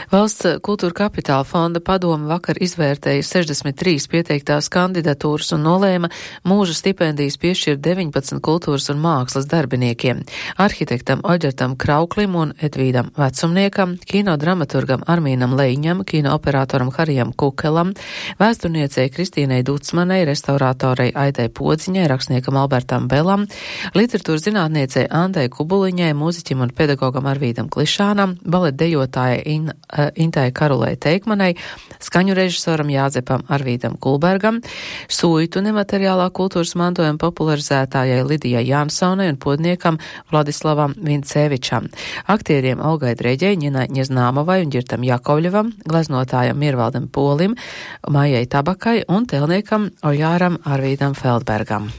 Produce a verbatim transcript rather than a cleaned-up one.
Valsts kultūra kapitāla fonda padome vakar izvērtēja sešdesmit trīs pieteiktās kandidatūras un nolēma mūža stipendijas piešķirt deviņpadsmit kultūras un mākslas darbiniekiem - arhitektam Oģertam Krauklim un Edvīdam Vecumniekam, kino dramaturgam Armīnam Leiņam, kino operatoram Harijam Kukelam, vēsturniecei Kristīnai Ducmanai, restaurātorei Aidai Podziņai, rakstniekam Albertam Belam, literatūras zinātniecei Andai Kubuliņai, mūziķim un pedagogam Arvīdam Klišānam, baletdejotājai In Intai Karulai Teikmanai, skaņu režisoram Jāzepam Arvīdam Kulbergam, suitu nemateriālā kultūras mantojuma popularizētājai Lidijai Jansonai un podniekam Vladislavam Vincevičam, aktieriem Olgai Dreģei, Ņinai Ņeznāmovai un Ģirtam Jakovļevam, gleznotājam Mirvaldam Polim, Maijai Tabakai un telniekam Ojāram Arvīdam Feldbergam.